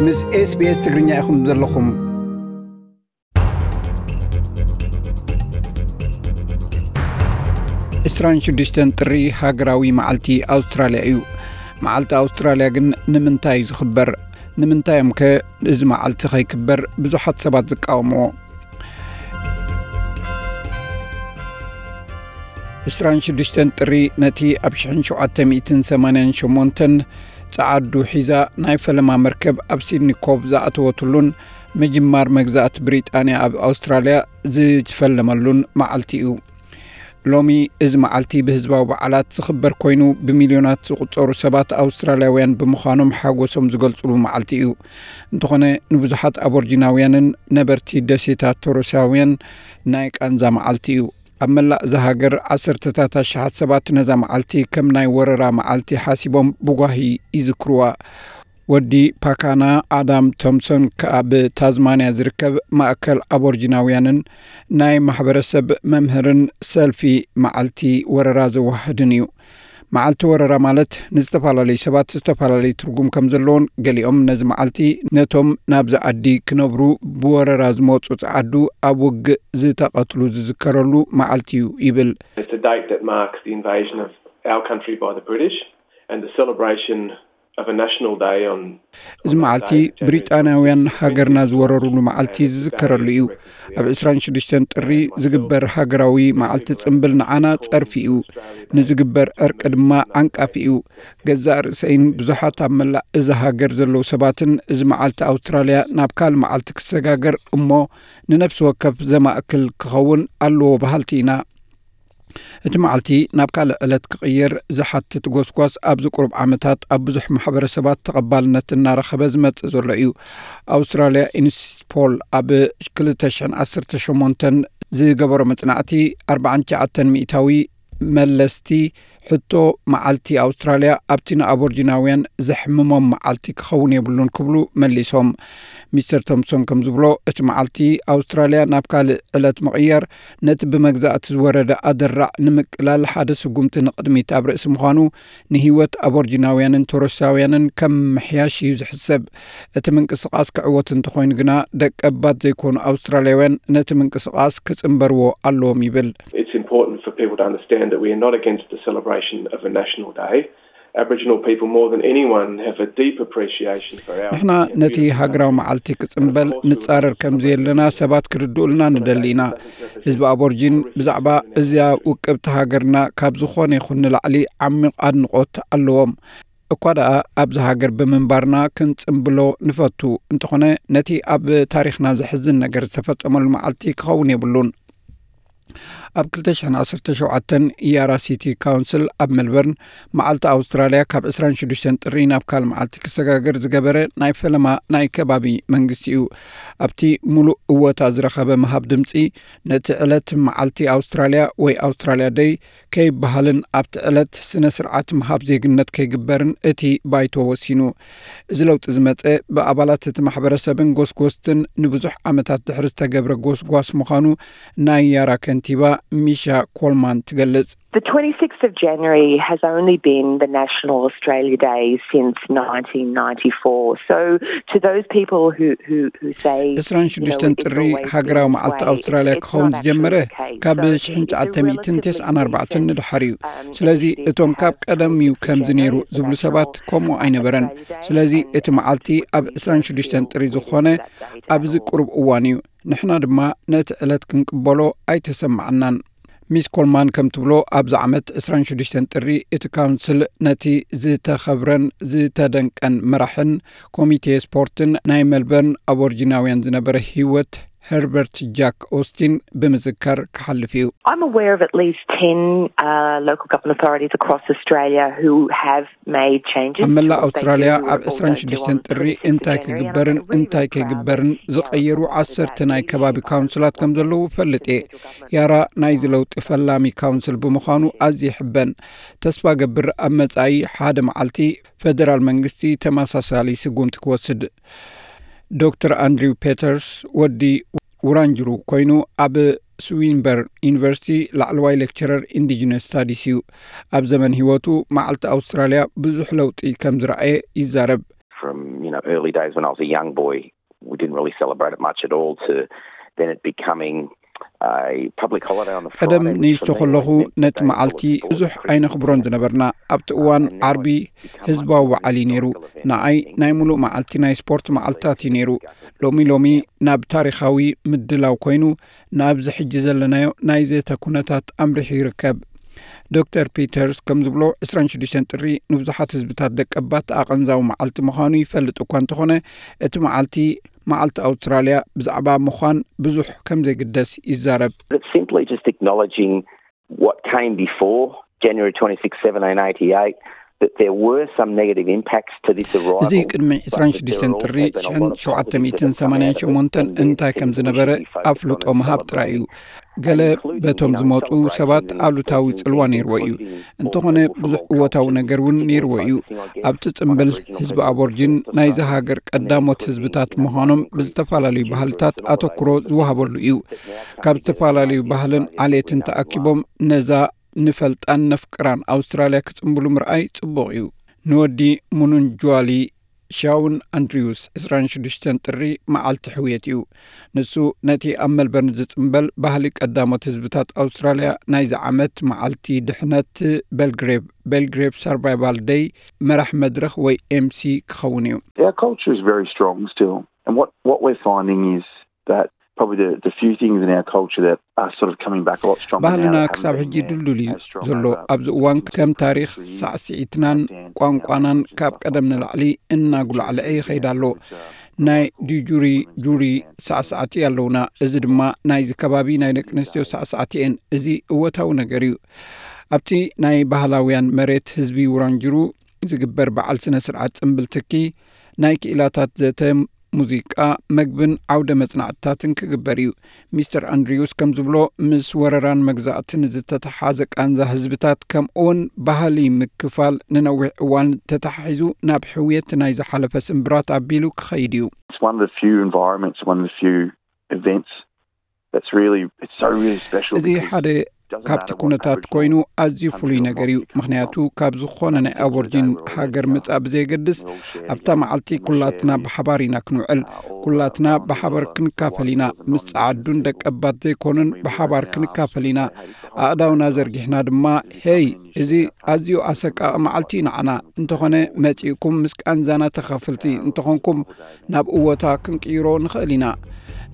ምስ SBS ትግርኛ ኢኹም ዘለኹም። ዕስራን ሽዱሽተን ጥሪ ሃገራዊ መዓልቲ ኣውስትራልያ እዩ። መዓልቲ ኣውስትራልያ ግን ንምንታይ እዩ ዝኽበር? ንምንታይ እዮም ከ እዚ መዓልቲ ከይክበር ብዙሓት ሰባት ዝቃወምዎ? ዕስራን ሽዱሽተን ጥሪ ነቲ ኣብ ሽሕን ሸውዓተ ሚእትን ሰማንያን ሸሞንተን ጸዓዱ ሒዛ ናይ ፈለማ መርከብ ኣብ ሲድኒ ኮቭ ዝኣተወትሉን ምጅማር መግዛእቲ ብሪጣንያ ኣብ ኣውስትራልያ ዝፈለመሉን መዓልቲ እዩ። ሎሚ እዚ መዓልቲ ብህዝባዊ በዓላት ዝኽበር ኮይኑ፣ ብሚልዮናት ዝቑጸሩ ሰባት ኣውስትራልያውያን ብምዃኖም ሓጎሶም ዝገልጽሉ መዓልቲ እዩ። እንተኾነ፣ ንብዙሓት ኣቦርጂናውያንን ነበርቲ ደሴታት ቶረሳውያን ናይ ቃንዛ መዓልቲ እዩ። ኣብ መላእ እዛ ሃገር ዓሰርተታት ኣሽሓት ሰባት ነዛ መዓልቲ ከም ናይ ወረራ መዓልቲ ሓሲቦም ብጓሂ ይዝክሩዋ። ወዲ ፓካና ኣዳም ቶምሶን ከኣ ብታዝማንያ ዝርከብ ማእከል ኣቦርጂናውያንን ናይ ማሕበረሰብ መምህርን ሰልፊ መዓልቲ ወረራ ዘወሃህድን እዩ። መዓልቲ ወረራ ማለት ንዝተፈላለዩ ሰባት ዝተፈላለዩ ትርጉም ከም ዘለዎን፣ ገሊኦም ነዚ መዓልቲ ነቶም ናብዚ ዓዲ ክነብሩ ብወረራ ዝመጹ ጸዓዱ ኣብ ውግእ ዝተቐትሉ ዝዝከረሉ መዓልቲ እዩ ይብል። It's a date that marks the invasion of our country by the British and the celebration of a national day on እዚ መዓልቲ ብሪጣንያውያን ሃገርና ዝወረሩሉ መዓልቲ ዝዝከረሉ እዩ። ኣብ ዕስራን ሽዱሽተን ጥሪ ዝግበር ሃገራዊ መዓልቲ ጽምብል ንዓና ጸርፊ እዩ። ንዝግበር ዕርቂ ድማ ዓንቃፊ እዩ። ገዛእ ርእሰይን ብዙሓት ኣብ መላእ እዛ ሃገር ዘለዉ ሰባትን እዚ መዓልቲ ኣውስትራልያ ናብ ካልእ መዓልቲ ክሰጋገር እሞ ንነፍሲ ወከፍ ዘማእክል ክኸውን ኣለዎ በሃልቲ ኢና። እቲ መዓልቲ ናብ ካልእ ዕለት ክቕየር ዝሓትት ጎስጓስ ኣብዚ ቁሩብ ዓመታት ኣብ ብዙሕ ማሕበረሰባት ተቐባልነት እናረኸበ ዝመጽእ ዘሎ እዩ። ኣውስትራልያ ኢንስፖል ኣብ ክልተ ሽሕን ዓሰርተ ሸሞንተን ዝገበሮ መጽናዕቲ፣ ኣርባዓን ትሽዓተን ሚእታዊ መለስቲ ሕቶ መዓልቲ ኣውስትራልያ ኣብቲ ንኣቦርጂናውያን ዘሕምሞም መዓልቲ ክኸውን የብሉን ክብሉ መሊሶም። ሚስተር ቶምሶን ከም ዝብሎ፣ እቲ መዓልቲ ኣውስትራልያ ናብ ካልእ ዕለት ምቕያር፣ ነቲ ብመግዛእቲ ዝወረደ ኣደራዕ ንምቅላል ሓደ ስጉምቲ ንቕድሚት ኣብ ርእሲ ምዃኑ፣ ንህይወት ኣቦርጂናውያንን ቶረሳውያንን ከም ምሕያሽ እዩ ዝሕሰብ። እቲ ምንቅስቓስ ክዕወት እንተኾይኑ ግና፣ ደቀባት ዘይኮኑ ኣውስትራልያውያን ነቲ ምንቅስቓስ ክጽንበርዎ ኣለዎም ይብል። It's important for people to understand that we are not against the celebration of a national day. Aboriginal people, more than anyone, have a deep appreciation for our ንሕና ነቲ ሃገራዊ መዓልቲ ክጽንበል ንጻረር ከም ዘየለና ሰባት ክርድኡልና ንደሊ ኢና። ህዝቢ ኣቦርጂን ብዛዕባ እዚኣ ውቅብቲ ሃገርና ካብ ዝኾነ ይኹን ንላዕሊ ዓሚቕ ኣድንቖት ኣለዎም። እኳ ደኣ ኣብዚ ሃገር ብምንባርና ክንጽንብሎ ንፈቱ፣ እንተኾነ ነቲ ኣብ ታሪኽና ዘሕዝን ነገር ዝተፈጸመሉ መዓልቲ ክኸውን የብሉን። ኣብ ክልተ ሽሕን ዓሰርተ ሸውዓተን ያራ ሲቲ ካውንስል ኣብ ሜልበርን መዓልቲ ኣውስትራልያ ካብ ዕስራን ሽዱሽተን ጥሪ ናብ ካልእ መዓልቲ ክሰጋገር ዝገበረ ናይ ፈለማ ናይ ከባቢ መንግስቲ እዩ። ኣብቲ ሙሉእ እወታ ዝረኸበ ምሃብ ድምጺ፣ ነቲ ዕለት መዓልቲ ኣውስትራልያ ወይ ኣውስትራልያ ደይ ከይበሃልን ኣብቲ ዕለት ስነ ስርዓት ምሃብ ዜግነት ከይግበርን እቲ ባይቶ ወሲኑ። እዚ ለውጢ ዝመጸ ብኣባላት እቲ ማሕበረሰብን ጎስጎስትን ንብዙሕ ዓመታት ድሕሪ ዝተገብረ ጎስጓስ ምዃኑ ናይ ያራ ከንቲባ ሚሻ ኮልማን ትገልጽ። The twenty-sixth of January has only been the National Australia Day since nineteen ninety-four. So to those people who, who, who say, you know, ዕስራን ሽዱሽተን ጥሪ ሃገራዊ መዓልቲ ኣውስትራልያ ክኸውን ዝጀመረ ካብ ሽሕን ትሽዓተ ሚእትን ተስዓን ኣርባዕተን ንድሓር እዩ። ስለዚ እቶም ካብ ቀደም እዩ ከምዚ ነይሩ ዝብሉ ሰባት ከምኡ ኣይነበረን። ስለዚ እቲ መዓልቲ ኣብ ዕስራን ሽዱሽተን ጥሪ ዝኾነ ኣብዚ ቁሩብ እዋን እዩ። ንሕና ድማ ነቲ ዕለት ክንቅበሎ ኣይተሰማዓናን። ሚስ ኮልማን ከም ትብሎ፣ ኣብዚ ዓመት ዕስራን ሽዱሽተን ጥሪ እቲ ካውንስል ነቲ ዝተኸብረን ዝተደንቀን መራሕን ኮሚቴ ስፖርትን ናይ ሜልበርን ኣቦርጂናውያን ዝነበረ ህይወት ሄርበርት ጃክ ኦስቲን ብምዝካር ክሓልፍ እዩ። I'm aware of at least ten uh, local government authorities across Australia who have made changes ኣብ መላእ ኣውስትራልያ ኣብ ዕስራን ሽዱሽተን ጥሪ እንታይ ክግበርን እንታይ ከይግበርን ዝቐየሩ ዓሰርተ ናይ ከባቢ ካውንስላት ከም ዘለዉ እፈልጥ እየ። ያራ ናይዚ ለውጢ ፈላሚ ካውንስል ብምዃኑ ኣዝየ ይሕበን። ተስፋ ገብር ኣብ መጻኢ ሓደ መዓልቲ ፈደራል መንግስቲ ተመሳሳሊ ስጉምቲ ክወስድ። ዶክተር ኣንድሪው ፔተርስ ወዲ ውራንጅሩ ኮይኑ ኣብ ስዊንበርን ዩኒቨርሲቲ ላዕለዋይ ሌክቸረር ኢንዲጂነስ ስታዲስ እዩ። ኣብ ዘመን ህይወቱ መዓልቲ ኣውስትራልያ ብዙሕ ለውጢ ከም ዝረኣየ ይዛረብ። Early days when I was a young boy, we didn't really celebrate it much at all, to then it becoming a public holiday on the ቀደም Friday, which ንእሽቶ for me ከለኹ always meant ነቲ going to መዓልቲ football, ብዙሕ ኣይነኽብሮን ዝነበርና። ኣብቲ እዋን ዓርቢ ህዝባዊ በዓል እዩ ነይሩ። ንዓይ ናይ ሙሉእ መዓልቲ ናይ ስፖርት መዓልትታት እዩ ነይሩ። ሎሚ ሎሚ ናብ ታሪኻዊ ምድላው ኮይኑ፣ ናብዚ ሕጂ ዘለናዮ ናይ ዘተ ኩነታት ኣምሪሑ ይርከብ። ዶክተር ፒተርስ ከም ዝብሎ፣ ዕስራን ሽዱሽተን ጥሪ ንብዙሓት ህዝብታት ደቀባት ኣቐንዛዊ መዓልቲ ምዃኑ ይፈልጥ እኳ እንተኾነ፣ እቲ መዓልቲ መዓልቲ ኣውስትራልያ ብዛዕባ ምዃን ብዙሕ ከም ዘይግደስ ይዛረብ። It's simply just acknowledging what came before January twenty-sixth, seventeen eighty-eight, that there were some negative impacts to this arrival. እዚ ቅድሚ ዕስራን ሽዱሽተን ጥሪ ሽሕን ሸውዓተ ሚእትን ሰማንያን ሸሞንተን እንታይ ከም ዝነበረ ኣፍልጦ ምሃብ ጥራይ እዩ። ገለ በቶም ዝመፁ ሰባት ኣሉታዊ ጽልዋ ነይርዎ እዩ። እንተኾነ ብዙሕ እወታዊ ነገር እውን ነይርዎ እዩ። ኣብቲ ጽምብል ህዝቢ ኣቦርጂን ናይዚ ሃገር ቀዳሞት ህዝብታት ምዃኖም ብዝተፈላለዩ ባህልታት ኣተኩሮ ዝወሃበሉ እዩ። ካብ ዝተፈላለዩ ባህልን ዓሌትን ተኣኪቦም ነዛ ንፈልጣን ነፍቅራን ኣውስትራልያ ክጽምብሉ ምርኣይ ጽቡቕ እዩ። ንወዲ ሙኑንጅዋሊ ሻውን ኣንድሪውስ ዕስራን ሽዱሽተን ጥሪ መዓልቲ ሕውየት እዩ። ንሱ ነቲ ኣብ መልበርን ዝጽምበል ባህሊ ቀዳሞት ህዝብታት ኣውስትራልያ ናይዚ ዓመት መዓልቲ ድሕነት ቤልግሬቭ፣ ቤልግሬቭ ሰርቫይቫል ደይ፣ መራሕ መድረኽ ወይ ኤምሲ ክኸውን እዩ። Our culture is very strong still. And what, what we're finding is that probably the, the few things in our culture that are sort of coming back a lot stronger now ባህልና that haven't ክሳብ been ሕጂ there ድልዱል እዩ as strong ዘሎ። over ኣብዚ እዋን ከም ታሪኽ ሳዕስዒትናን ቋንቋናን ካብ ቀደም ንላዕሊ እናጉላዕልዐ ይኸይድ ኣሎ። ናይ ዲጁሪ ጁሪ ሳዕሳዕቲ ኣለውና። እዚ ድማ ናይዚ ከባቢ ናይ ደቂ ኣንስትዮ ሳዕሳዕቲ እየን። እዚ እወታዊ ነገር እዩ። ኣብቲ ናይ ባህላውያን መሬት ህዝቢ ውራንጅሩ ዝግበር በዓል ስነ ስርዓት ጽምብል ትኪ ናይ ክኢላታት ዘተ፣ ሙዚቃ፣ መግብን ዓውደ መጽናዕትታትን ክግበር እዩ። ሚስተር ኣንድሪውስ ከም ዝብሎ፣ ምስ ወረራን መግዛእትን ዝተተሓዘ ቃንዛ ህዝብታት ከምኡውን ባህሊ ምክፋል ንነዊሕ እዋን ተተሓሒዙ ናብ ሕውየት ናይ ዝሓለፈ ስምብራት ኣቢሉ ክኸይድ እዩ። It's one of the few environments, one of the few events that's really, it's so really special. እዚ ሓደ ካብቲ ኩነታት ኮይኑ ኣዝዩ ፍሉይ ነገር እዩ። ምኽንያቱ ካብ ዝኾነ ናይ ኣቦርጂን ሃገር ምጻእ ብዘየገድስ ኣብታ መዓልቲ ኩላትና ብሓባር ኢና ክንውዕል። ኩላትና ብሓባር ክንካፈል ኢና። ምስ ጸዓዱን ደቀባት ዘይኮኑን ብሓባር ክንካፈል ኢና። ኣእዳውና ዘርጊሕና ድማ፣ ሄይ፣ እዚ ኣዝዩ ኣሰቃቂ መዓልቲ እዩ ንዓና። እንተኾነ መጺእኩም ምስ ቃንዛና ተኻፈልቲ እንተኾንኩም ናብ እወታ ክንቅይሮ ንኽእል ኢና።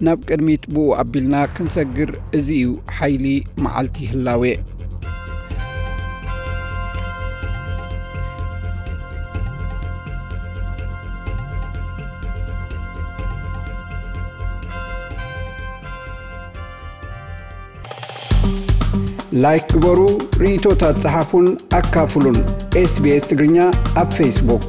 ናብ ቅድሚት ብኡ ኣቢልና ክንሰግር፣ እዚ እዩ ሓይሊ መዓልቲ ህላዌ። ላይክ ግበሩ፣ ርእይቶታት ጸሓፉን ኣካፍሉን። ኤስቢኤስ ትግርኛ ኣብ ፌስቡክ።